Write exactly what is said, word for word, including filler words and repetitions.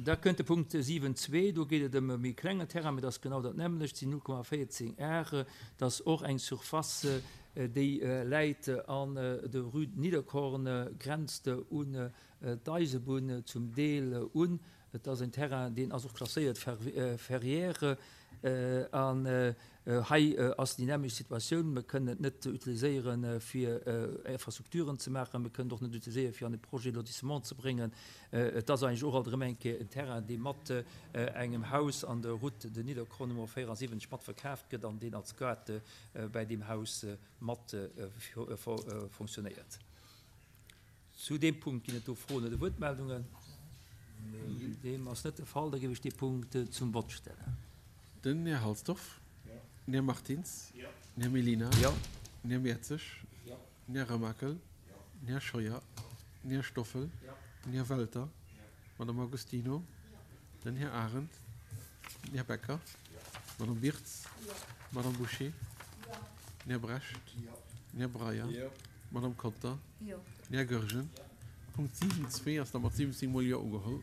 Da kënnt de Punkt siwen zwee, do geet et ëm e méi klengen Terrain, mee dat ass genau dat nämmlecht, sinn null Komma véierzéng Are. Dat ass och eng Surface, déi läit an der Rue Nidderkorn, grenzt un d'Eisebunn zum Deel un. Et ass en Terrain, deen ass och klasséiert Ferrière. An hei ass déi nämmlecht Situatioun. Mir kënnen et net utiliséieren, fir Infrastrukturen ze maachen. Mir kënnen et och net utiliséieren, fir an e Projet de lotissement ze bréngen. Et ass eigentlech och alt erëm eng Kéier en Terrain, dee mat engem Haus an der Route de Nidderkorn Nummer véierasiwwenzeg mat verkaaft gëtt an deen als Gaart bäi deem Haus mat fonctionnéiert. Zu deem Punkt ginn et do Froen oder Wuertmeldungen? Deem ass net de Fall. Da géif ech dee Punkt zum Vott stellen. Den Här Halsdorf. Den Här Martins. Den Här Mellina. Den Här Mertzig. Den Här Remakel. Den Här Scheuer. Den Här Stoffel. Den Här Welter. D'Madame Agostino. Den Här Arendt. Den Här Becker. D'Madame Wirtz. D'Madame Bouché. Den Här Brecht. Den Här Breyer. D'Madame Conter. Den Här Goergen. Punkt siwen zwee ass da mat siwwenzéng Mol Jo ugeholl.